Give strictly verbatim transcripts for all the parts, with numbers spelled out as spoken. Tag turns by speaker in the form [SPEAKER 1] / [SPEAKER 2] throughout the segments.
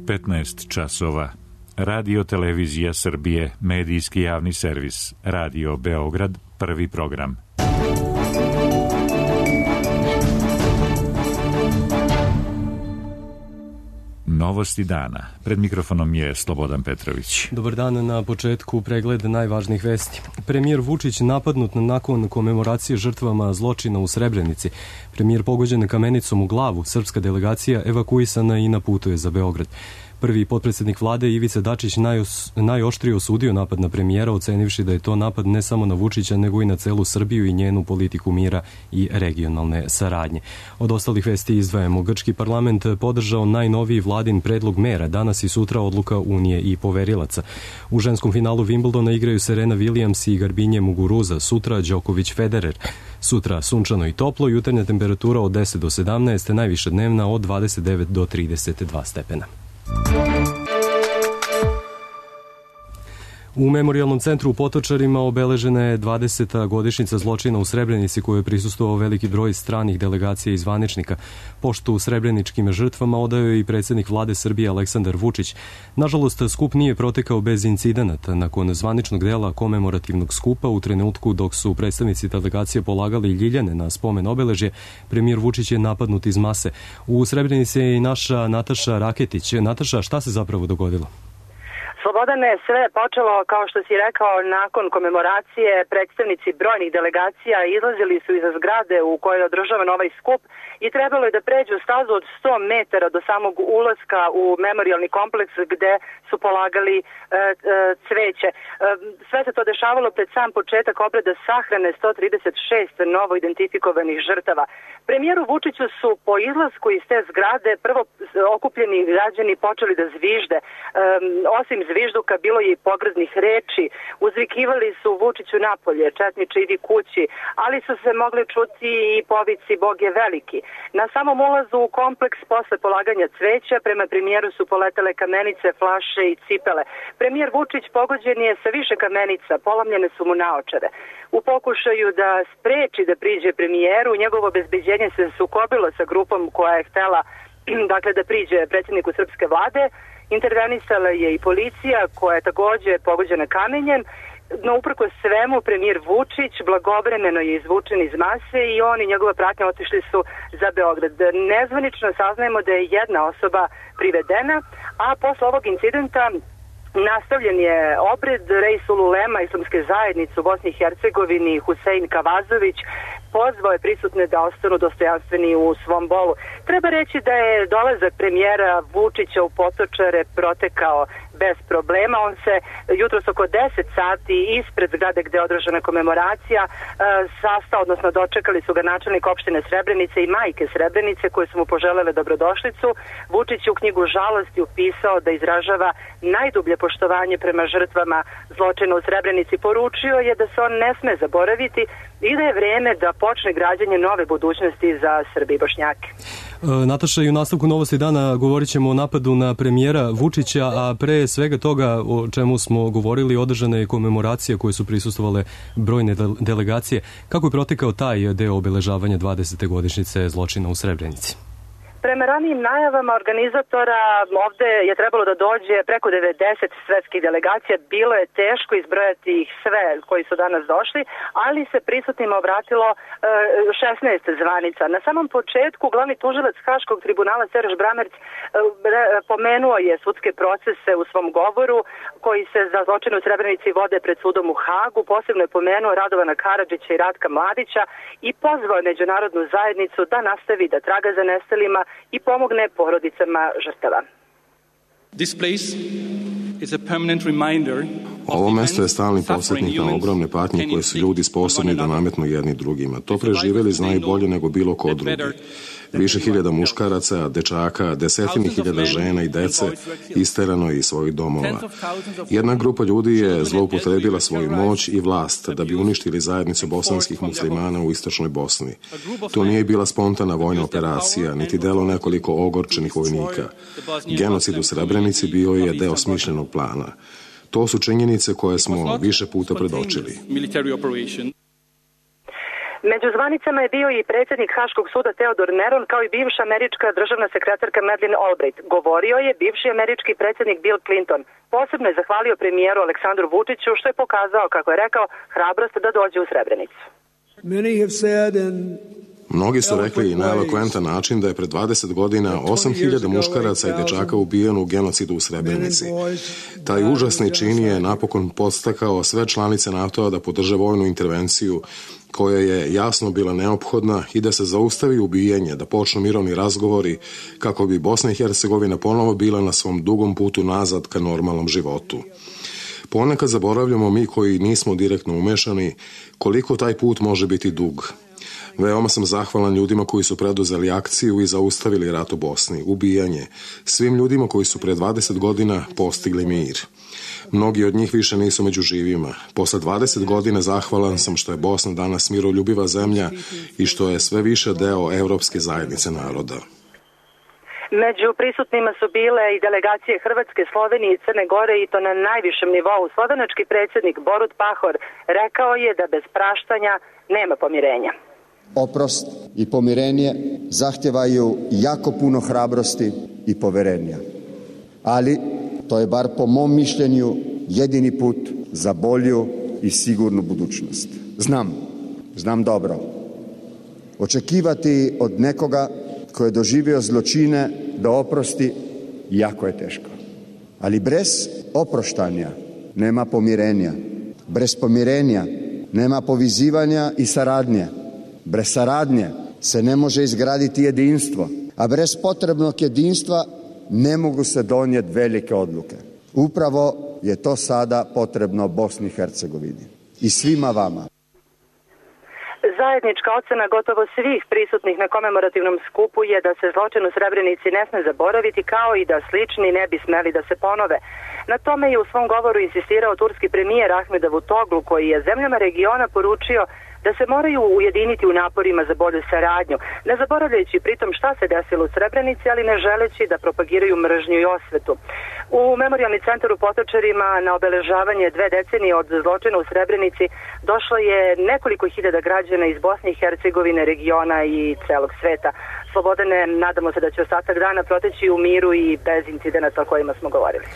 [SPEAKER 1] petnaest časova. Radio Televizija Srbije, medijski javni servis. Radio Beograd, prvi program. Novosti dana. Pred mikrofonom je Slobodan Petrović.
[SPEAKER 2] Dobar dan, na početku pregled najvažnijih vesti. Premijer Vučić napadnut nakon komemoracije žrtvama zločina u Srebrenici. Premijer pogođen kamenicom u glavu, srpska delegacija evakuisana i na putu je za Beograd. Prvi potpredsjednik vlade Ivica Dačić najos, najoštrije osudio napad na premijera, ocenivši da je to napad ne samo na Vučića, nego i na celu Srbiju i njenu politiku mira i regionalne saradnje. Od ostalih vesti izdvajamo: grčki parlament podržao najnoviji vladin predlog mera, danas i sutra odluka Unije i poverilaca. U ženskom finalu Wimbledona igraju Serena Williams i Garbinje Muguruza, sutra Đoković Federer. Sutra sunčano i toplo, jutarnja temperatura od deset do sedamnaest, najviša dnevna od dvadeset devet do trideset dva stepena. U Memorijalnom centru u Potočarima obeležena je dvadeseta godišnjica zločina u Srebrenici, koju je prisustvovao veliki broj stranih delegacija i zvaničnika. Poštu srebreničkim žrtvama odao je i predsjednik vlade Srbije Aleksandar Vučić. Nažalost, skup nije protekao bez incidenata. Nakon zvaničnog dela komemorativnog skupa, u trenutku dok su predstavnici delegacije polagali ljiljane na spomen obeležje, premijer Vučić je napadnut iz mase. U Srebrenici je i naša Nataša Raketić. Nataša, šta se zapravo dogodilo?
[SPEAKER 3] Slobodane, sve je počelo, kao što si rekao, nakon komemoracije. Predstavnici brojnih delegacija izlazili su iza zgrade u kojoj je održavan ovaj skup i trebalo je da pređu stazu od sto metara do samog ulaska u memorijalni kompleks gde su polagali e, e, cveće. E, sve se to dešavalo pred sam početak obreda sahrane sto trideset šest novo identifikovanih žrtava. Premijeru Vučiću su po izlasku iz te zgrade prvo okupljeni građani počeli da zvižde. E, osim zvižduka bilo je i pogrdnih reči, uzvikivali su Vučiću napolje, četniče idi kući, ali su se mogli čuti i povici Bog je veliki. Na samom ulazu u kompleks posle polaganja cveća prema premijeru su poletele kamenice, flaše i cipele. Premijer Vučić pogođen je sa više kamenica, polomljene su mu naočare. U pokušaju da spreči da priđe premijeru, njegovo obezbeđenje se sukobilo sa grupom koja je htela dakle, da priđe predsjedniku srpske vlade. Intervenisala je i policija koja je takođe pogođena kamenjem, no uprkos svemu premijer Vučić blagovremeno je izvučen iz mase i on i njegova pratnja otišli su za Beograd. Nezvanično saznajemo da je jedna osoba privedena, a posle ovog incidenta nastavljen je obred. Reisul Ulema islamske zajednice u Bosni i Hercegovini Husein Kavazović pozvao je prisutne da ostanu dostojanstveni u svom bolu. Treba reći da je dolazak premijera Vučića u Potočare protekao bez problema. On se jutros oko deset sati ispred zgrade gde je održana komemoracija sastao, odnosno dočekali su ga načelnik opštine Srebrenice i majke Srebrenice koje su mu poželele dobrodošlicu. Vučić je u knjigu žalosti upisao da izražava najdublje poštovanje prema žrtvama zločina u Srebrenici. Poručio je da se on ne sme zaboraviti i da je vreme da počne građenje nove budućnosti za Srbe i Bošnjake.
[SPEAKER 2] E, Nataša, i u nastavku Novosti dana govorit ćemo o napadu na premijera Vučića, a pre svega toga o čemu smo govorili, održana je komemoracija koje su prisustvovale brojne delegacije. Kako je protekao taj deo obeležavanja dvadesete godišnjice zločina u Srebrenici?
[SPEAKER 3] Prema ranijim najavama organizatora ovde je trebalo da dođe preko devedeset svetskih delegacija. Bilo je teško izbrojati ih sve koji su danas došli, ali se prisutnima obratilo šesnaest zvanica. Na samom početku glavni tužilac Haškog tribunala Serž Bramerc pomenuo je sudske procese u svom govoru koji se za zločin u Srebrenici vode pred sudom u Hagu. Posebno je pomenuo Radovana Karadžića i Ratka Mladića i pozvao je međunarodnu zajednicu da nastavi da traga za nestalima i pomogne porodicama žrtava.
[SPEAKER 4] Ovo mesto je stalni podsjetnik na ogromne patnje koje su ljudi sposobni da nametnu jedni drugima. To preživjeli znaju bolje nego bilo ko drugi. Više hiljada muškaraca, dečaka, desetini hiljada žena i dece isterano je iz svojih domova. Jedna grupa ljudi je zloupotrebila svoju moć i vlast da bi uništili zajednicu bosanskih muslimana u istočnoj Bosni. To nije bila spontana vojna operacija, niti delo nekoliko ogorčenih vojnika. Genocid u Srebrenici bio je deo smišljenog plana. To su činjenice koje smo više puta predočili.
[SPEAKER 3] Među zvanicama je bio i predsjednik Haškog suda Teodor Meron, kao i bivša američka državna sekretarka Madeleine Albright. Govorio je bivši američki predsjednik Bill Clinton. Posebno je zahvalio premijeru Aleksandru Vučiću, što je pokazao, kako je rekao, hrabrost da dođe u Srebrenicu.
[SPEAKER 4] Mnogi su rekli na elokventan način da je pred dvadeset godina osam hiljada muškaraca i dečaka ubijeno u genocidu u Srebrenici. Taj užasni čin je napokon podstakao sve članice NATO-a da podrže vojnu intervenciju koja je jasno bila neophodna i da se zaustavi ubijanje, da počnu mirovni razgovori kako bi Bosna i Hercegovina ponovo bila na svom dugom putu nazad ka normalnom životu. Ponekad zaboravljamo mi koji nismo direktno umešani koliko taj put može biti dug. Veoma sam zahvalan ljudima koji su preduzeli akciju i zaustavili rat u Bosni, ubijanje, svim ljudima koji su pre dvadeset godina postigli mir. Mnogi od njih više nisu među živima. Posle dvadeset godina zahvalan sam što je Bosna danas miroljubiva zemlja i što je sve više deo evropske zajednice naroda.
[SPEAKER 3] Među prisutnima su bile i delegacije Hrvatske, Slovenije i Crne Gore, i to na najvišem nivou. Slovenački predsjednik Borut Pahor rekao je da bez praštanja nema pomirenja.
[SPEAKER 5] Oprost i pomirenje zahtjevaju jako puno hrabrosti i poverenja. Ali to je, bar po mom mišljenju, jedini put za bolju i sigurnu budućnost. Znam, znam dobro. Očekivati od nekoga ko je doživio zločine da oprosti jako je teško. Ali bez oproštanja nema pomirenja. Bez pomirenja nema povezivanja i saradnje. Bez saradnje se ne može izgraditi jedinstvo, a bez potrebnog jedinstva ne mogu se donijeti velike odluke. Upravo je to sada potrebno Bosni i Hercegovini i svima vama.
[SPEAKER 3] Zajednička ocena gotovo svih prisutnih na komemorativnom skupu je da se zločin u Srebrenici ne sme zaboraviti, kao i da slični ne bi smeli da se ponove. Na tome je u svom govoru insistirao turski premijer Ahmed Davutoglu, koji je zemljama regiona poručio da se moraju ujediniti u naporima za bolju saradnju, ne zaboravljajući pritom šta se desilo u Srebrenici, ali ne želeći da propagiraju mržnju i osvetu. U Memorijalni centar u Potočarima na obeležavanje dve decenije od zločina u Srebrenici došlo je nekoliko hiljada građana iz Bosne i Hercegovine, regiona i celog sveta. Slobodane, nadamo se da će ostatak dana proteći u miru i bez incidenata o kojima smo govorili.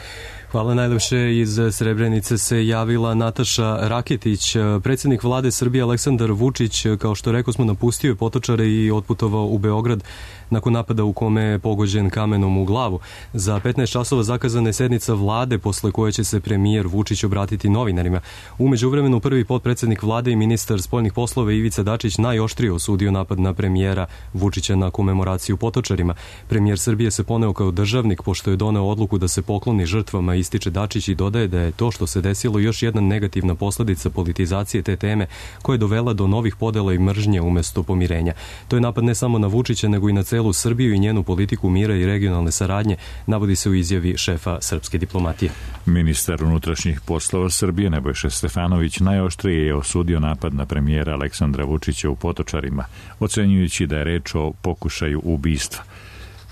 [SPEAKER 2] Hvala najlepše. Iz Srebrenice se javila Nataša Raketić. Predsjednik vlade Srbije Aleksandar Vučić, kao što rekao smo, napustio je Potočare i otputovao u Beograd nakon napada u kome je pogođen kamenom u glavu. Za petnaest časova zakazana je sednica vlade, posle koje će se premijer Vučić obratiti novinarima. U međuvremenu prvi potpredsjednik vlade i ministar spoljnih poslova Ivica Dačić najoštrije osudio napad na premijera Vučića na komemoraciju u Potočarima. Premijer Srbije se poneo kao državnik pošto je doneo odluku da se pokloni žrtvama, ističe Dačić, i dodaje da je to što se desilo još jedna negativna posledica politizacije te teme koja je dovela do novih podela i mržnje umesto pomirenja. To je napad ne samo na Vučića nego i na celu Srbiju i njenu politiku mira i regionalne saradnje, navodi se u izjavi šefa srpske diplomatije.
[SPEAKER 1] Ministar unutrašnjih poslova Srbije Nebojša Stefanović najoštrije je osudio napad na premijera Aleksandra Vučića u Potočarima, ocenjujući da je reč o pokušaju ubistva.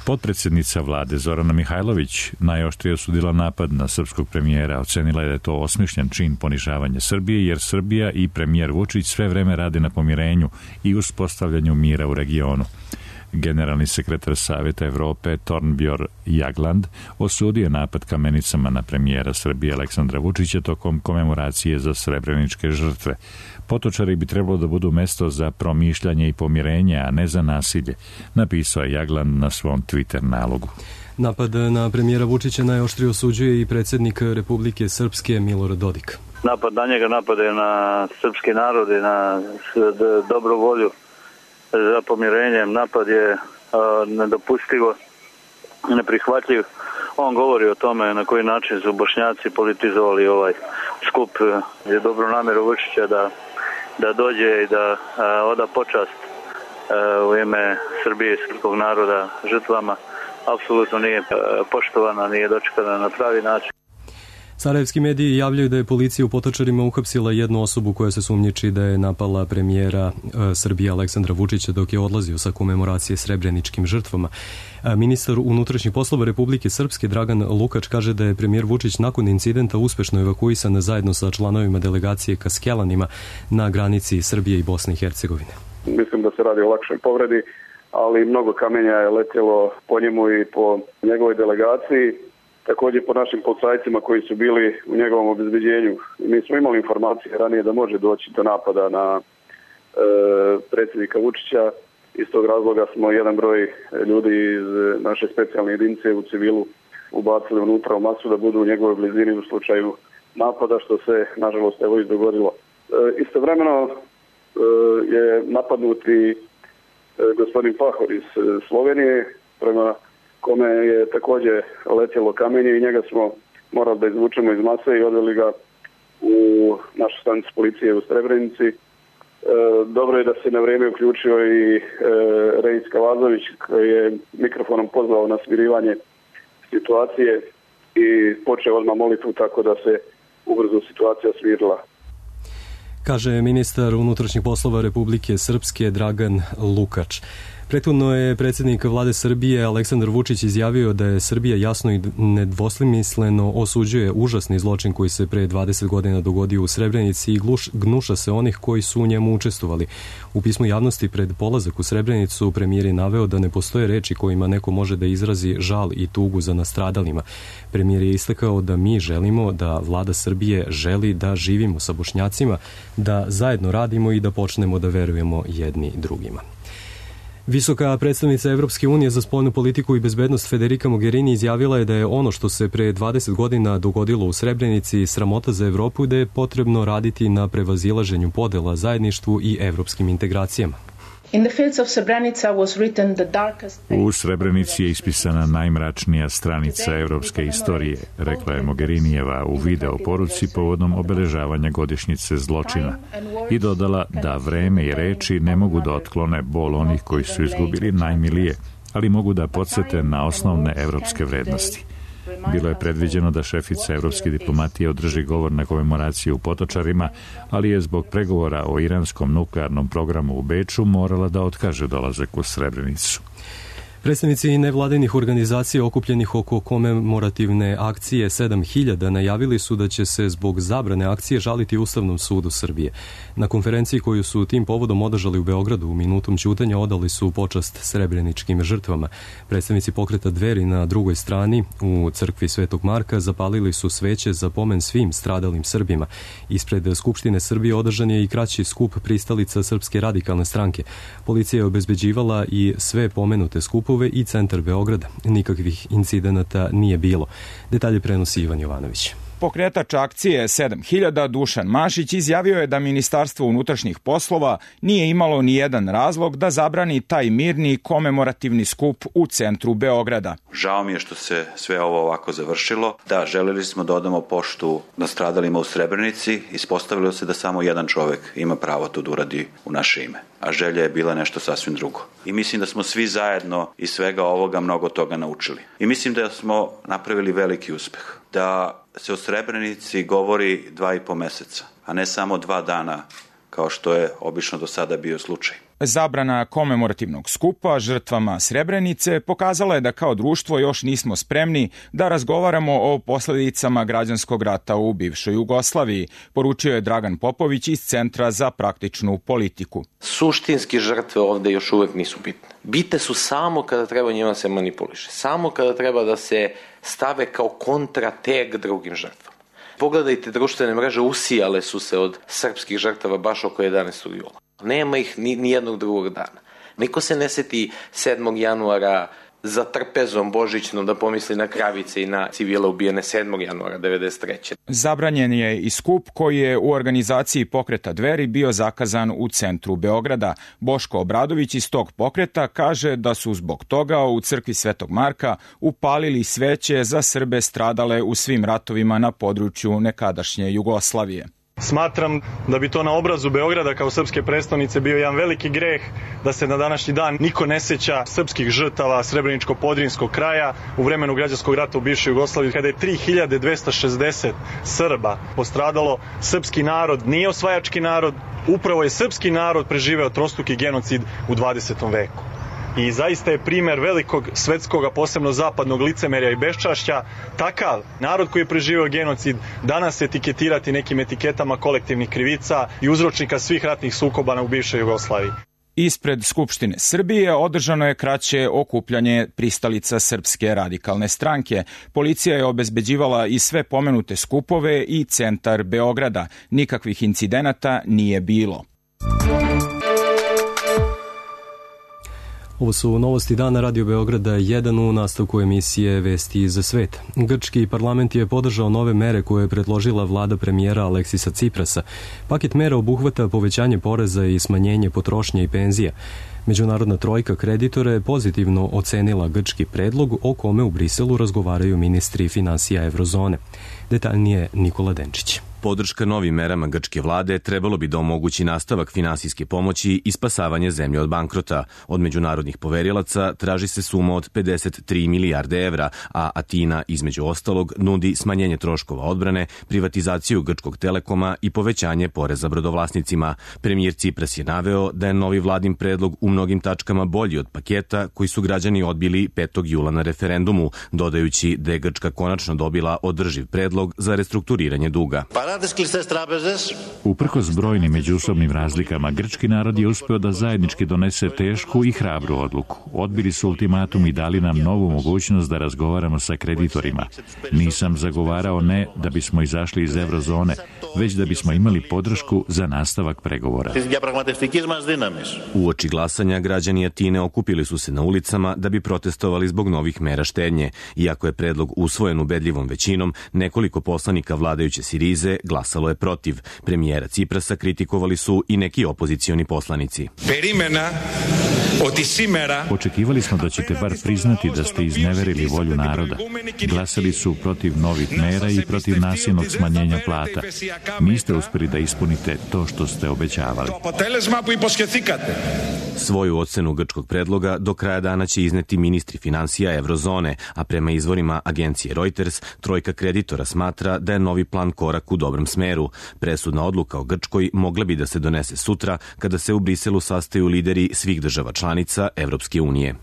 [SPEAKER 1] Potpredsjednica vlade Zorana Mihajlović najoštrije osudila napad na srpskog premijera, ocenila je da je to osmišljen čin ponižavanja Srbije, jer Srbija i premijer Vučić sve vreme rade na pomirenju i uspostavljanju mira u regionu. Generalni sekretar Saveta Evrope Thorbjørn Jagland osudio napad kamenicama na premijera Srbije Aleksandra Vučića tokom komemoracije za srebreničke žrtve. Potočari bi trebalo da budu mesto za promišljanje i pomirenje, a ne za nasilje, napisao je Jagland na svom Twitter nalogu.
[SPEAKER 2] Napad na premijera Vučića najoštrije osuđuje i predsjednik Republike Srpske Milorad Dodik.
[SPEAKER 6] Napad na njega, napad je na srpski narod i na dobru volju za pomirenjem. Napad je nedopustivo, neprihvatljiv. On govori o tome na koji način su Bošnjaci politizovali ovaj skup. Je dobro namjeru Vučića da, da dođe i da a, oda počast a, u ime Srbije i srpskog naroda žrtvama. Apsolutno nije a, poštovana, nije dočekana na pravi način.
[SPEAKER 2] Sarajevski mediji javljaju da je policija u Potočarima uhapsila jednu osobu koja se sumnjiči da je napala premijera e, Srbije Aleksandra Vučića dok je odlazio sa komemoracije srebreničkim žrtvama. E, ministar unutrašnjih poslova Republike Srpske Dragan Lukač kaže da je premijer Vučić nakon incidenta uspešno evakuisan zajedno sa članovima delegacije ka Skelanima na granici Srbije i Bosne i Hercegovine.
[SPEAKER 7] Mislim da se radi o lakšoj povredi, ali mnogo kamenja je letjelo po njemu i po njegovoj delegaciji. Također po našim policajcima koji su bili u njegovom obezbeđenju. Mi smo imali informacije ranije da može doći do napada na e, predsjednika Vučića. Iz tog razloga smo jedan broj ljudi iz naše specijalne jedinice u civilu ubacili unutra u masu da budu u njegovoj blizini u slučaju napada, što se nažalost evo i dogodilo. E, istovremeno e, je napadnuti e, gospodin Pahor iz Slovenije, prema kome je također letjelo kamenje i njega smo morali da izvučemo iz mase i odveli ga u našu stanicu policije u Srebrenici. E, dobro je da se na vrijeme uključio i e, Rejs Kavazović koji je mikrofonom pozvao na smirivanje situacije i počeo odmah molitvu tako da se ubrzo situacija smirila.
[SPEAKER 2] Kaže ministar unutrašnjih poslova Republike Srpske Dragan Lukač. Prethodno je predsjednik vlade Srbije Aleksandar Vučić izjavio da je Srbija jasno i nedvosmisleno osuđuje užasni zločin koji se pre dvadeset godina dogodio u Srebrenici i gluš, gnuša se onih koji su u njemu učestvovali. U pismu javnosti pred polazak u Srebrenicu premijer je naveo da ne postoje reči kojima neko može da izrazi žal i tugu za nastradalima. Premijer je istakao da mi želimo, da vlada Srbije želi da živimo sa Bošnjacima, da zajedno radimo i da počnemo da verujemo jedni drugima. Visoka predstavnica Evropske unije za spoljnu politiku i bezbednost Federica Mogherini izjavila je da je ono što se pre dvadeset godina dogodilo u Srebrenici sramota za Evropu i da je potrebno raditi na prevazilaženju podela, zajedništvu i evropskim integracijama.
[SPEAKER 1] U Srebrenici je ispisana najmračnija stranica evropske istorije, rekla je Mogherinijeva u video poruci povodom obeležavanja godišnjice zločina i dodala da vreme i reči ne mogu da otklone bol onih koji su izgubili najmilije, ali mogu da podsete na osnovne evropske vrednosti. Bilo je predviđeno da šefica evropske diplomatije održi govor na komemoraciji u Potočarima, ali je zbog pregovora o iranskom nuklearnom programu u Beču morala da otkaže dolazak u Srebrenicu.
[SPEAKER 2] Predstavnici nevladinih organizacija okupljenih oko komemorativne akcije sedam hiljada najavili su da će se zbog zabrane akcije žaliti Ustavnom sudu Srbije. Na konferenciji koju su tim povodom održali u Beogradu u minutom ćutanja odali su počast srebreničkim žrtvama. Predstavnici pokreta Dveri na drugoj strani u crkvi Svetog Marka zapalili su sveće za pomen svim stradalim Srbima. Ispred Skupštine Srbije održan je i kraći skup pristalica Srpske radikalne stranke. Policija je obezbeđivala i sve pomenute skupove i centar Beograda. Nikakvih incidenata nije bilo. Detalje prenosi Ivan Jovanović.
[SPEAKER 8] Pokretač akcije sedam hiljada Dušan Mašić izjavio je da Ministarstvo unutrašnjih poslova nije imalo ni jedan razlog da zabrani taj mirni komemorativni skup u centru Beograda.
[SPEAKER 9] Žao mi je što se sve ovo ovako završilo. Da, želeli smo da odamo poštu nastradalima u Srebrenici. Ispostavilo se da samo jedan čovek ima pravo to da uradi u naše ime. A želja je bila nešto sasvim drugo. I mislim da smo svi zajedno iz svega ovoga mnogo toga naučili. I mislim da smo napravili veliki uspeh. Da se o Srebrenici govori dva i po meseca, a ne samo dva dana, kao što je obično do sada bio slučaj.
[SPEAKER 8] Zabrana komemorativnog skupa žrtvama Srebrenice pokazala je da kao društvo još nismo spremni da razgovaramo o posledicama građanskog rata u bivšoj Jugoslaviji, poručio je Dragan Popović iz Centra za praktičnu politiku.
[SPEAKER 10] Suštinski žrtve ovde još uvek nisu bitne. Bitne su samo kada treba njima se manipuliše, samo kada treba da se stave kao kontrateg drugim žrtvama. Pogledajte, društvene mreže usijale su se od srpskih žrtava baš oko jedanaestog jula. Nema ih ni, ni jednog drugog dana. Niko se ne seti sedmog januara za trpezom božićnom da pomisli na kravice i na civile ubijene sedmog januara devedeset treće.
[SPEAKER 8] Zabranjen je i skup koji je u organizaciji pokreta Dveri bio zakazan u centru Beograda. Boško Obradović iz tog pokreta kaže da su zbog toga u crkvi Svetog Marka upalili sveće za Srbe stradale u svim ratovima na području nekadašnje Jugoslavije.
[SPEAKER 11] Smatram da bi to na obrazu Beograda kao srpske prestonice bio jedan veliki greh da se na današnji dan niko ne seća srpskih žrtava Srebreničko-Podrinjskog kraja u vremenu građanskog rata u bivšoj Jugoslaviji, kada je tri hiljade dvesta šezdeset Srba postradalo. Srpski narod nije osvajački narod, upravo je srpski narod preživeo trostruki genocid u dvadesetom veku. I zaista je primer velikog svetskog, a posebno zapadnog licemerja i beščašća. Takav narod koji je preživio genocid danas etiketirati nekim etiketama kolektivnih krivica i uzročnika svih ratnih sukoba u bivšoj Jugoslaviji.
[SPEAKER 8] Ispred Skupštine Srbije održano je kraće okupljanje pristalica Srpske radikalne stranke. Policija je obezbeđivala i sve pomenute skupove i centar Beograda. Nikakvih incidenata nije bilo.
[SPEAKER 2] Ovo su novosti dana Radio Beograda jedan u nastavku emisije Vesti za svet. Grčki parlament je podržao nove mere koje je predložila vlada premijera Aleksisa Ciprasa. Paket mera obuhvata povećanje poreza i smanjenje potrošnje i penzija. Međunarodna trojka kreditora je pozitivno ocenila grčki predlog o kome u Briselu razgovaraju ministri finansija Evrozone. Detaljnije Nikola Denčić.
[SPEAKER 12] Podrška novim merama grčke vlade trebalo bi da omogući nastavak finansijske pomoći i spasavanje zemlje od bankrota. Od međunarodnih poverilaca traži se suma od pedeset tri milijarde evra, a Atina, između ostalog, nudi smanjenje troškova odbrane, privatizaciju grčkog telekoma i povećanje poreza brodovlasnicima. Premijer Cipras je naveo da je novi vladin predlog u mnogim tačkama bolji od paketa koji su građani odbili petog jula na referendumu, dodajući da je Grčka konačno dobila održiv predlog za restrukturiranje duga.
[SPEAKER 1] Uprkos brojnim međusobnim razlikama, grčki narod je uspeo da zajednički donese tešku i hrabru odluku. Odbili su ultimatum i dali nam novu mogućnost da razgovaramo sa kreditorima. Nisam zagovarao ne da bismo izašli iz Evrozone, već da bismo imali podršku za nastavak pregovora.
[SPEAKER 12] Uoči glasanja, građani Atine okupili su se na ulicama da bi protestovali zbog novih mera štednje. Iako je predlog usvojen ubedljivom većinom, nekoliko poslanika vladajuće Sirize glasalo je protiv. Premijera Ciprasa kritikovali su i neki opozicioni poslanici.
[SPEAKER 1] Očekivali smo da ćete bar priznati da ste izneverili volju naroda. Glasali su protiv novih mera i protiv nasilnog smanjenja plata. Niste uspeli da ispunite to što ste obećavali.
[SPEAKER 12] Svoju ocenu grčkog predloga do kraja dana će izneti ministri finansija Evrozone, a prema izvorima agencije Reuters, trojka kreditora smatra da je novi plan korak u dobrom smeru. Presudna odluka o Grčkoj mogla bi da se donese sutra kada se u Briselu sastaju lideri svih država članica Evropske unije.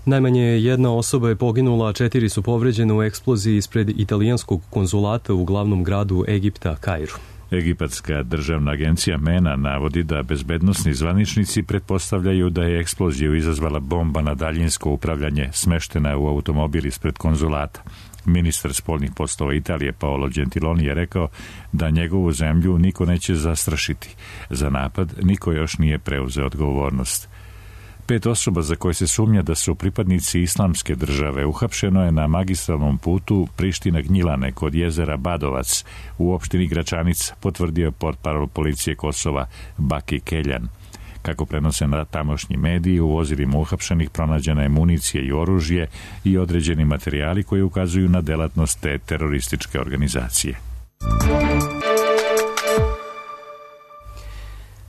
[SPEAKER 2] Najmanje jedna osoba je poginula, a četiri su povređene u eksploziji ispred italijanskog konzulata u glavnom gradu Egipta, Kairu.
[SPEAKER 1] Egipatska državna agencija MENA navodi da bezbednosni zvaničnici pretpostavljaju da je eksploziju izazvala bomba na daljinsko upravljanje smeštena u automobil ispred konzulata. Ministar spoljnih poslova Italije Paolo Gentiloni je rekao da njegovu zemlju niko neće zastrašiti. Za napad niko još nije preuzeo odgovornost. Pet osoba za koje se sumnja da su pripadnici islamske države uhapšeno je na magistralnom putu Priština-Gnjilane kod jezera Badovac u opštini Gračanica, potvrdio je portparol policije Kosova Baki Keljan. Kako prenose na tamošnji mediji, u vozilima uhapšenih pronađena je municija i oružje i određeni materijali koji ukazuju na delatnost te terorističke organizacije.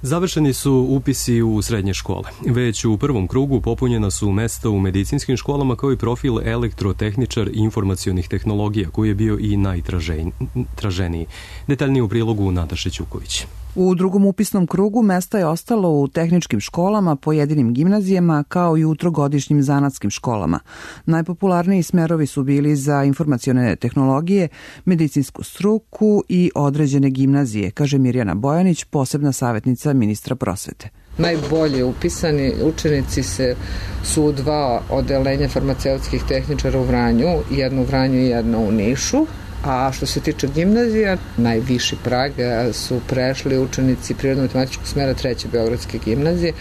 [SPEAKER 2] Završeni su upisi u srednje škole. Već u prvom krugu popunjena su mesta u medicinskim školama kao i profil elektrotehničar informacionih tehnologija koji je bio i najtraženiji. Detaljnije u prilogu Nataše Ćuković.
[SPEAKER 13] U drugom upisnom krugu mesta je ostalo u tehničkim školama, pojedinim gimnazijama kao i u trogodišnjim zanatskim školama. Najpopularniji smerovi su bili za informacione tehnologije, medicinsku struku i određene gimnazije, kaže Mirjana Bojanić, posebna savjetnica ministra prosvete.
[SPEAKER 14] Najbolje upisani učenici se, su u dva odelenja farmaceutskih tehničara u Vranju, jedno u Vranju i jedno u Nišu. A što se tiče gimnazija, najviši prag su prešli učenici prirodno-matematičkog smera treće Beogradske gimnazije,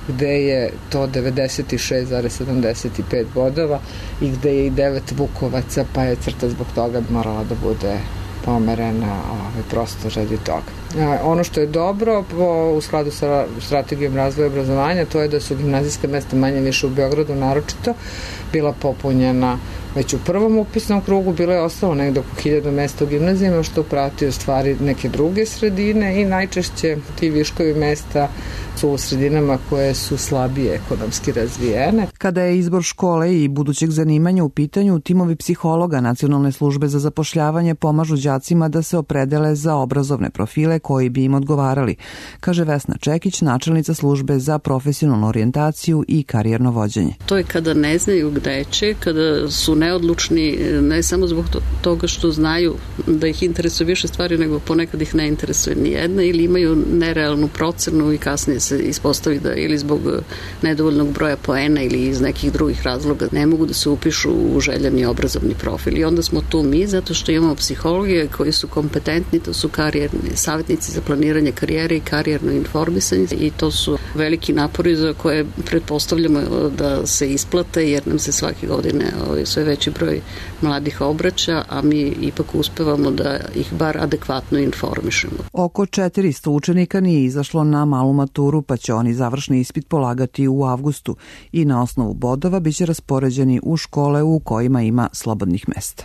[SPEAKER 14] gde je to devedeset šest zarez sedamdeset pet bodova i gde je i devet Vukovaca, pa je crta zbog toga morala da bude pomerena ovaj, prosto radi toga. Ono što je dobro po, u skladu sa strategijom razvoja obrazovanja, to je da su gimnazijska mesta manje više u Beogradu naročito bila popunjena već u prvom upisnom krugu, bilo je ostalo negde oko hiljadu mesta u gimnazijama, što prati u stvari neke druge sredine i najčešće ti viškovi mesta su u sredinama koje su slabije ekonomski razvijene.
[SPEAKER 13] Kada je izbor škole i budućeg zanimanja u pitanju, timovi psihologa Nacionalne službe za zapošljavanje pomažu đacima da se opredele za obrazovne profile koji bi im odgovarali, kaže Vesna Čekić, načelnica službe za profesionalnu orijentaciju i karijerno vođenje.
[SPEAKER 15] To je kada ne znaju gde će, kada su neodlučni, ne samo zbog toga što znaju da ih interesuje više stvari, nego ponekad ih ne interesuje ni jedna ili imaju nerealnu procenu i kasnije se ispostavi da ili zbog nedovoljnog broja poena ili iz nekih drugih razloga ne mogu da se upišu u željeni obrazovni profil. I onda smo tu mi, zato što imamo psihologe koji su kompetentni, to su karijerni savjetnici za planiranje karijere i karijerno informisanje i to su veliki napori za koje pretpostavljamo da se isplate, jer nam se svake godine sve veći broj mladih obraća, a mi ipak uspevamo da ih bar adekvatno informišemo.
[SPEAKER 13] Oko četiristo učenika nije izašlo na malu maturu, pa će oni završni ispit polagati u avgustu i na osnovu bodova biće raspoređeni u škole u kojima ima slobodnih mesta.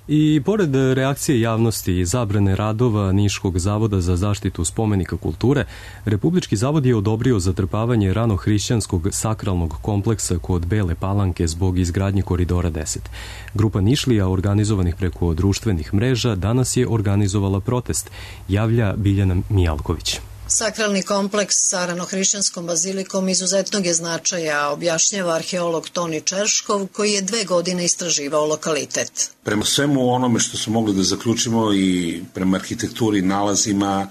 [SPEAKER 2] I pored reakcije javnosti i zabrane radova Niškog zavoda za zaštitu spomenika kulture, Republički zavod je odobrio zatrpavanje ranohrišćanskog sakralnog kompleksa kod Bele Palanke zbog izgradnje Koridora deset. Grupa Nišlija, organizovanih preko društvenih mreža, danas je organizovala protest, javlja Biljana Mijalković.
[SPEAKER 16] Sakralni kompleks sa ranohrišćanskom bazilikom izuzetnog je značaja, objašnjava arheolog Toni Čerškov, koji je dve godine istraživao lokalitet.
[SPEAKER 17] Prema svemu onome što smo mogli da zaključimo i prema arhitekturi, nalazima,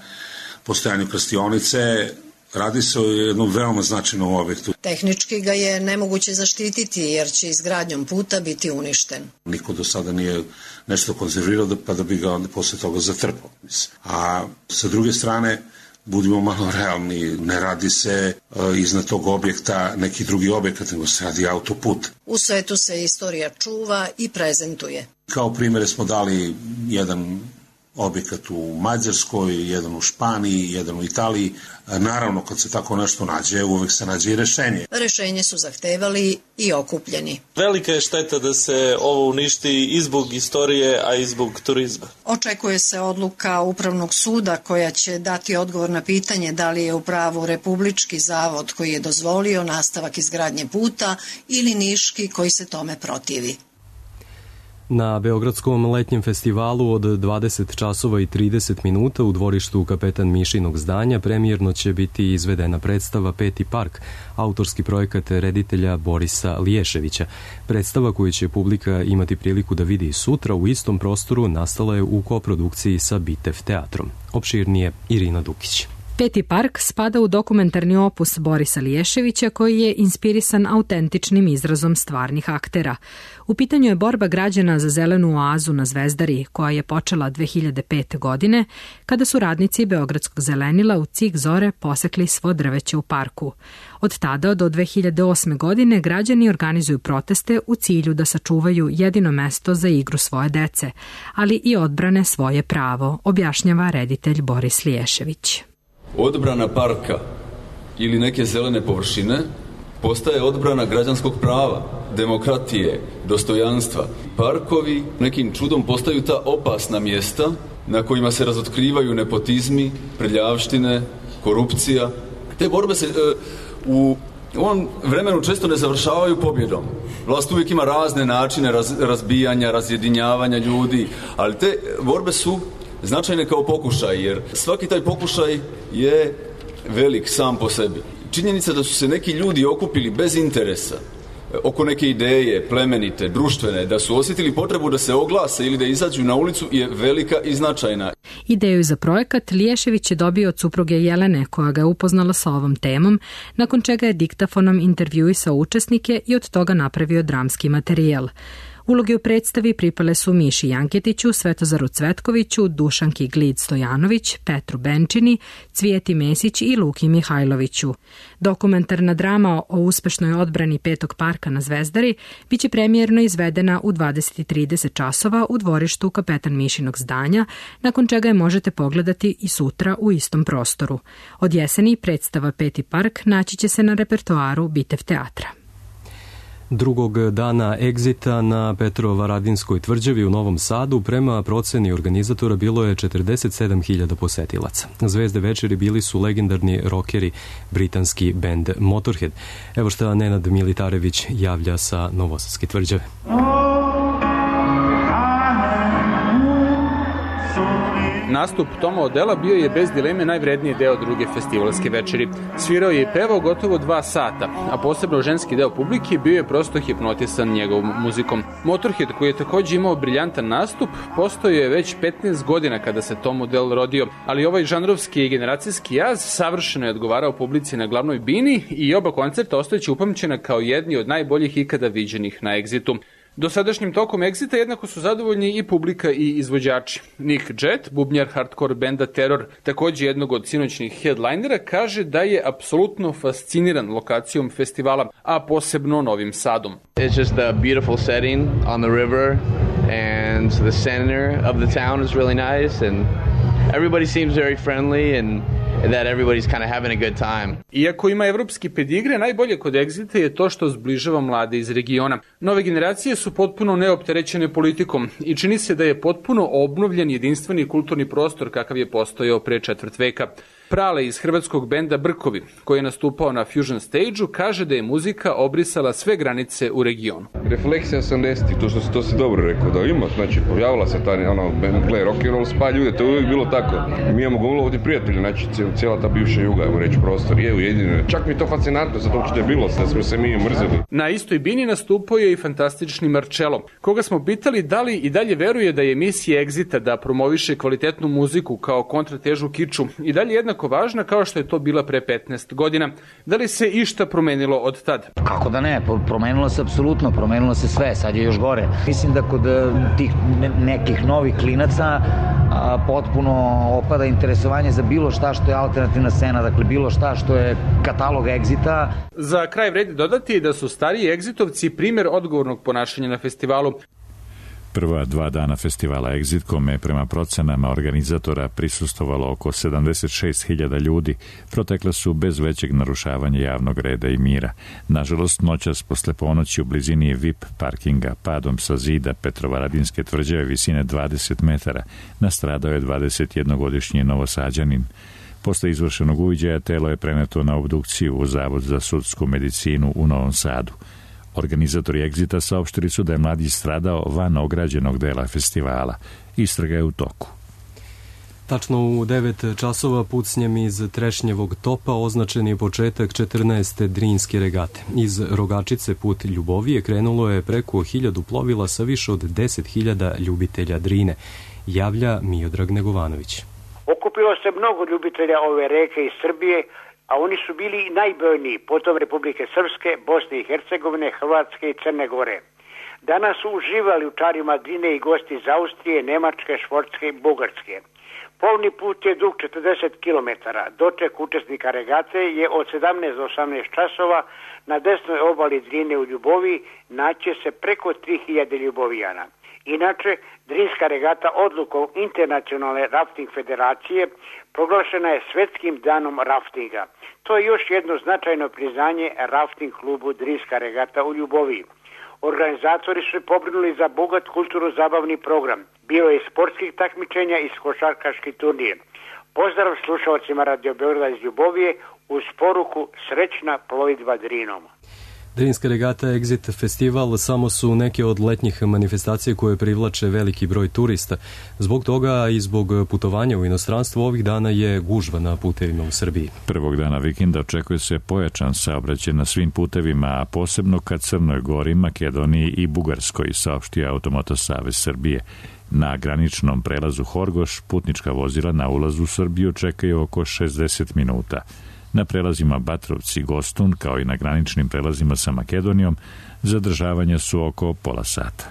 [SPEAKER 17] postojanju krstionice, radi se o jednom veoma značajnom objektu.
[SPEAKER 16] Tehnički ga je nemoguće zaštititi jer će izgradnjom puta biti uništen.
[SPEAKER 17] Niko do sada nije nešto konzervirao pa da bi ga onda posle toga zatrpao. A sa druge strane, budimo malo realni, ne radi se uh, iznad tog objekta neki drugi objekat, nego se radi autoput.
[SPEAKER 16] U svetu se istorija čuva i prezentuje.
[SPEAKER 17] Kao primjere smo dali jedan objekat u Mađarskoj, jedan u Španiji, jedan u Italiji. Naravno, kad se tako nešto nađe, uvek se nađe i rešenje.
[SPEAKER 16] Rešenje su zahtevali i okupljeni.
[SPEAKER 18] Velika je šteta da se ovo uništi i zbog istorije, a i zbog turizma.
[SPEAKER 16] Očekuje se odluka Upravnog suda koja će dati odgovor na pitanje da li je u pravu Republički zavod koji je dozvolio nastavak izgradnje puta ili Niški koji se tome protivi.
[SPEAKER 2] Na Beogradskom letnjem festivalu od dvadeset časova i trideset minuta u dvorištu Kapetan Mišinog zdanja premijerno će biti izvedena predstava Peti park, autorski projekat reditelja Borisa Liješevića. Predstava koju će publika imati priliku da vidi sutra u istom prostoru nastala je u koprodukciji sa Bitev teatrom. Opširnije Irina Dukić.
[SPEAKER 19] Peti park spada u dokumentarni opus Borisa Liješevića koji je inspirisan autentičnim izrazom stvarnih aktera. U pitanju je borba građana za zelenu oazu na Zvezdari, koja je počela dve hiljade pete. godine, kada su radnici Beogradskog zelenila u cik zore posekli svo drveće u parku. Od tada do dve hiljade osme. godine građani organizuju proteste u cilju da sačuvaju jedino mesto za igru svoje dece, ali i odbrane svoje pravo, objašnjava reditelj Boris Liješević.
[SPEAKER 20] Odbrana parka ili neke zelene površine postaje odbrana građanskog prava, demokratije, dostojanstva. Parkovi nekim čudom postaju ta opasna mjesta na kojima se razotkrivaju nepotizmi, prljavštine, korupcija. Te borbe se e, u ovom vremenu često ne završavaju pobjedom. Vlast uvijek ima razne načine raz, razbijanja, razjedinjavanja ljudi, ali te borbe su značajne kao pokušaj, jer svaki taj pokušaj je velik sam po sebi. Činjenica da su se neki ljudi okupili bez interesa oko neke ideje, plemenite, društvene, da su osjetili potrebu da se oglase ili da izađu na ulicu je velika i značajna.
[SPEAKER 19] Ideju za projekat Liješević je dobio od supruge Jelene, koja ga je upoznala sa ovom temom, nakon čega je diktafonom intervjuisao učesnike i od toga napravio dramski materijal. Uloge u predstavi pripale su Miši Janketiću, Svetozaru Cvetkoviću, Dušanki Glid-Stojanović, Petru Benčini, Cvijeti Mesić i Luki Mihajloviću. Dokumentarna drama o uspešnoj odbrani Petog parka na Zvezdari biće premijerno izvedena u dvadeset i trideset časova u dvorištu Kapetan Mišinog zdanja, nakon čega je možete pogledati i sutra u istom prostoru. Od jeseni predstava Peti park naći će se na repertoaru Bitev teatra.
[SPEAKER 2] Drugog dana egzita na Petrovaradinskoj tvrđavi u Novom Sadu prema proceni organizatora bilo je četrdeset sedam hiljada posetilaca. Zvezde večeri bili su legendarni rokeri, britanski bend Motorhead. Evo šta Nenad Militarević javlja sa Novosadske tvrđave.
[SPEAKER 21] Nastup Toma Odela bio je bez dileme najvredniji deo druge festivalske večeri. Svirao je i pevao gotovo dva sata, a posebno ženski deo publike bio je prosto hipnotisan njegovom muzikom. Motorhead, koji je takođe imao briljantan nastup, postojao je već petnaest godina kada se Tom Odell rodio, ali ovaj žanrovski i generacijski jaz savršeno je odgovarao publici na glavnoj bini i oba koncerta ostajeće upamćena kao jedni od najboljih ikada viđenih na Exitu. Dosadašnjim tokom Exita jednako su zadovoljni i publika i izvođači. Nick Jett, bubnjar hardcore benda Terror, takođe jednog od sinoćnih headlinera, kaže da je apsolutno fasciniran lokacijom festivala, a posebno Novim Sadom.
[SPEAKER 22] It's just a beautiful setting on the river and the center of the town is really nice and everybody seems very friendly and that everybody's kind of having a good time.
[SPEAKER 21] Iako ima evropski pedigre, najbolje kod Exita je to što zbližava mlade iz regiona. Nove generacije su potpuno neopterećene politikom i čini se da je potpuno obnovljen jedinstveni kulturni prostor kakav je postojao pre četvrt veka. Prale iz hrvatskog benda Brkovi, koji je nastupao na Fusion Stage-u, kaže da je muzika obrisala sve granice u regionu.
[SPEAKER 23] Refleksija osamdesetih, to što si, to si dobro rekao, da ima, znači, pojavila se ta, ono, gle, rock and roll spa ljude, to je uvijek bilo tako. Mi imamo govorilo ovdje prijatelji, znači, cijela ta bivša juga, evo reći, prostor je ujedinjena. Čak mi je to fascinantno, zato uopšte je bilo, da smo se mi mrzeli.
[SPEAKER 21] Na istoj bini nastupao je i fantastični Marcello, koga smo pitali da li i dalje veruje da je misija Exita da promoviše kvalitetnu muziku kao kontratežu kiču i dalje jednako važna kao što je to bila pre petnaest godina. Da li se išta promenilo od tad?
[SPEAKER 24] Kako da ne, promenilo se apsolutno, promenilo se sve, sad je još gore. Mislim da kod tih nekih novih klinaca a, potpuno opada interesovanje za bilo šta što je alternativna scena, dakle bilo šta što je katalog Exita.
[SPEAKER 21] Za kraj vredi dodati da su stariji Exitovci primjer odgovornog ponašanja na festivalu.
[SPEAKER 1] Prva dva dana festivala Exit, kome prema procenama organizatora prisustovalo oko sedamdeset šest hiljada ljudi, protekle su bez većeg narušavanja javnog reda i mira. Nažalost, noćas posle ponoći u blizini V I P parkinga padom sa zida Petrovaradinske tvrđave visine dvadeset metara nastradao je dvadesetjednogodišnji Novosađanin. Posle izvršenog uviđaja telo je preneto na obdukciju u Zavod za sudsku medicinu u Novom Sadu. Organizatori Exita saopštili su da je mladić stradao van ograđenog dela festivala. Istraga je u toku.
[SPEAKER 2] Tačno u devet časova pucnjem iz Trešnjevog topa označen je početak četrnaeste Drinske regate. Iz Rogačice put Ljubovije krenulo je preko hiljadu plovila sa više od deset hiljada ljubitelja Drine. Javlja Miodrag Negovanović.
[SPEAKER 25] Okupilo se mnogo ljubitelja ove reke iz Srbije, a oni su bili najbrojniji, potom Republike Srpske, Bosne i Hercegovine, Hrvatske i Crne Gore. Danas su uživali u čarima Drine i gosti iz Austrije, Nemačke, Švortske i Bugarske. Plovni put je dug četrdeset kilometara. Doček učesnika regate je od sedamnaest do osamnaest časova. Na desnoj obali Drine u Ljuboviji naće se preko tri hiljade ljubovijana. Inače, Drinska regata odlukom Internacionalne rafting federacije proglašena je svetskim danom raftinga. To je još jedno značajno priznanje rafting klubu Drinska regata u Ljuboviji. Organizatori su pobrinuli za bogat kulturno-zabavni program. Bilo je i sportskih takmičenja i košarkaški turnir. Pozdrav slušalcima Radio Beograda iz Ljubovije uz poruku srećna plovidba Drinom.
[SPEAKER 2] Drinska regata Exit Festival samo su neke od letnjih manifestacija koje privlače veliki broj turista. Zbog toga i zbog putovanja u inostranstvo ovih dana je gužva na putevima u Srbiji.
[SPEAKER 1] Prvog dana vikenda očekuje se pojačan saobraćaj na svim putevima, a posebno ka Crnoj Gori, Makedoniji i Bugarskoj, saopštio Automoto Savez Srbije. Na graničnom prelazu Horgoš putnička vozila na ulazu u Srbiju čekaju oko šezdeset minuta. Na prelazima Batrovci i Gostun, kao i na graničnim prelazima sa Makedonijom, zadržavanja su oko pola sata.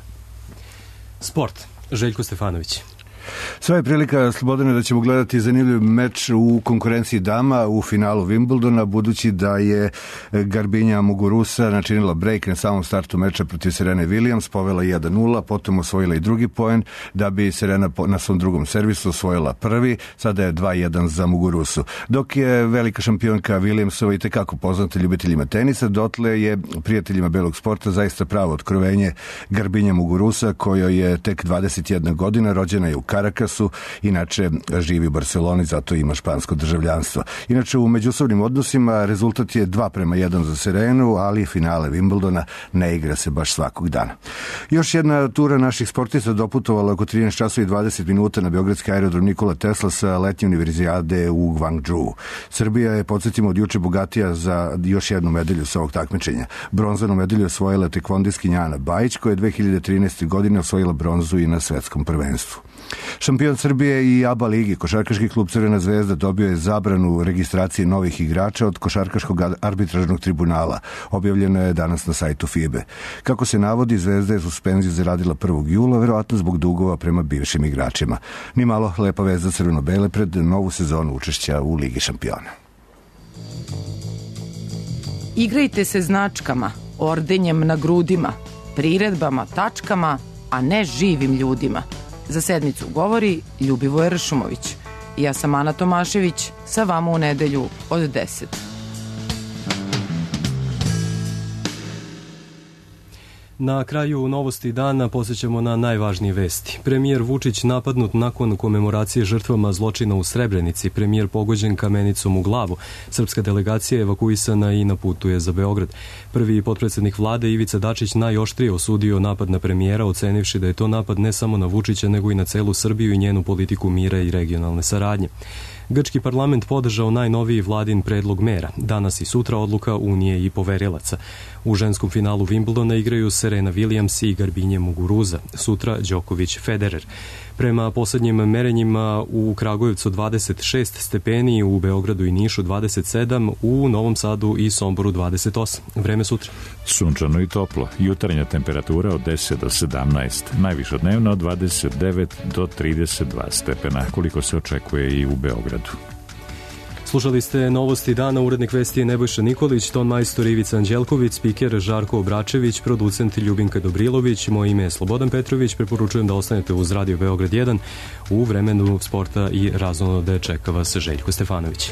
[SPEAKER 2] Sport. Željko Stefanović.
[SPEAKER 3] Sva je prilika, Slobodane, da ćemo gledati zanimljiv meč u konkurenciji dama u finalu Wimbledona, budući da je Garbinja Muguruza načinila break na samom startu meča protiv Serene Williams, povela jedan nula, potom osvojila i drugi poen, da bi Serena na svom drugom servisu osvojila prvi, sada je dva jedan za Muguruzu. Dok je velika šampionka Williamsova i tekako poznata ljubiteljima tenisa, dotle je prijateljima belog sporta zaista pravo otkrovenje Garbinja Muguruza, kojoj je tek dvadeset jedna godina, rođena je u Karakasu, inače živi u Barceloni, zato ima špansko državljanstvo. Inače, u međusobnim odnosima rezultat je dva prema jedan za Serenu, ali finale Wimbledona ne igra se baš svakog dana. Još jedna tura naših sportista doputovala oko trinaest časova i dvadeset minuta na beogradski aerodrom Nikola Tesla sa letnje univerzijade u Gwangju. Srbija je, podsjetimo, od juče bogatija za još jednu medalju sa ovog takmičenja. Bronzanu medalju osvojila tekvondistkinja Ana Bajić, koja je dve hiljade trinaeste. godine osvojila bronzu i na svetskom prvenstvu. Šampion Srbije i A B A ligi, košarkaški klub Crvena zvezda, dobio je zabranu registracije novih igrača od košarkaškog arbitražnog tribunala. Objavljeno je danas na sajtu F I B E. Kako se navodi, Zvezda je suspenziju zaradila prvog jula, verovatno zbog dugova prema bivšim igračima. Ni malo lepa vest za crveno-bele pred novu sezonu učešća u Ligi šampiona.
[SPEAKER 4] Igrajte se značkama, ordenjem na grudima, priredbama, tačkama, a ne živim ljudima. Za sedmicu govori Ljubivoje Ršumović. Ja sam Ana Tomašević, sa vama u nedelju od deset.
[SPEAKER 2] Na kraju novosti dana posjećamo na najvažnije vesti. Premijer Vučić napadnut nakon komemoracije žrtvama zločina u Srebrenici. Premijer pogođen kamenicom u glavu. Srpska delegacija je evakuisana i na putu je za Beograd. Prvi potpredsjednik vlade Ivica Dačić najoštrije osudio napad na premijera, ocenivši da je to napad ne samo na Vučića, nego i na celu Srbiju i njenu politiku mira i regionalne saradnje. Grčki parlament podržao najnoviji vladin predlog mera. Danas i sutra odluka Unije i poverilaca. U ženskom finalu Wimbledona igraju Serena Williams i Garbinje Muguruza. Sutra Đoković Federer. Prema posljednjim merenjima u Kragujevcu dvadeset šest stepeni, u Beogradu i Nišu dvadeset sedam, u Novom Sadu i Somboru dvadeset osam. Vreme sutra.
[SPEAKER 1] Sunčano i toplo. Jutarnja temperatura od deset do sedamnaest. Najviša dnevna od dvadeset devet do trideset dva stepena, koliko se očekuje i u Beogradu.
[SPEAKER 2] Slušali ste novosti dana, urednik vesti je Nebojša Nikolić, ton majstor Ivica Anđelković, spiker Žarko Obračević, producent Ljubinka Dobrilović, moje ime je Slobodan Petrović, preporučujem da ostanete uz Radio Beograd jedan, u vremenu sporta i razonode čeka vas Željko Stefanović.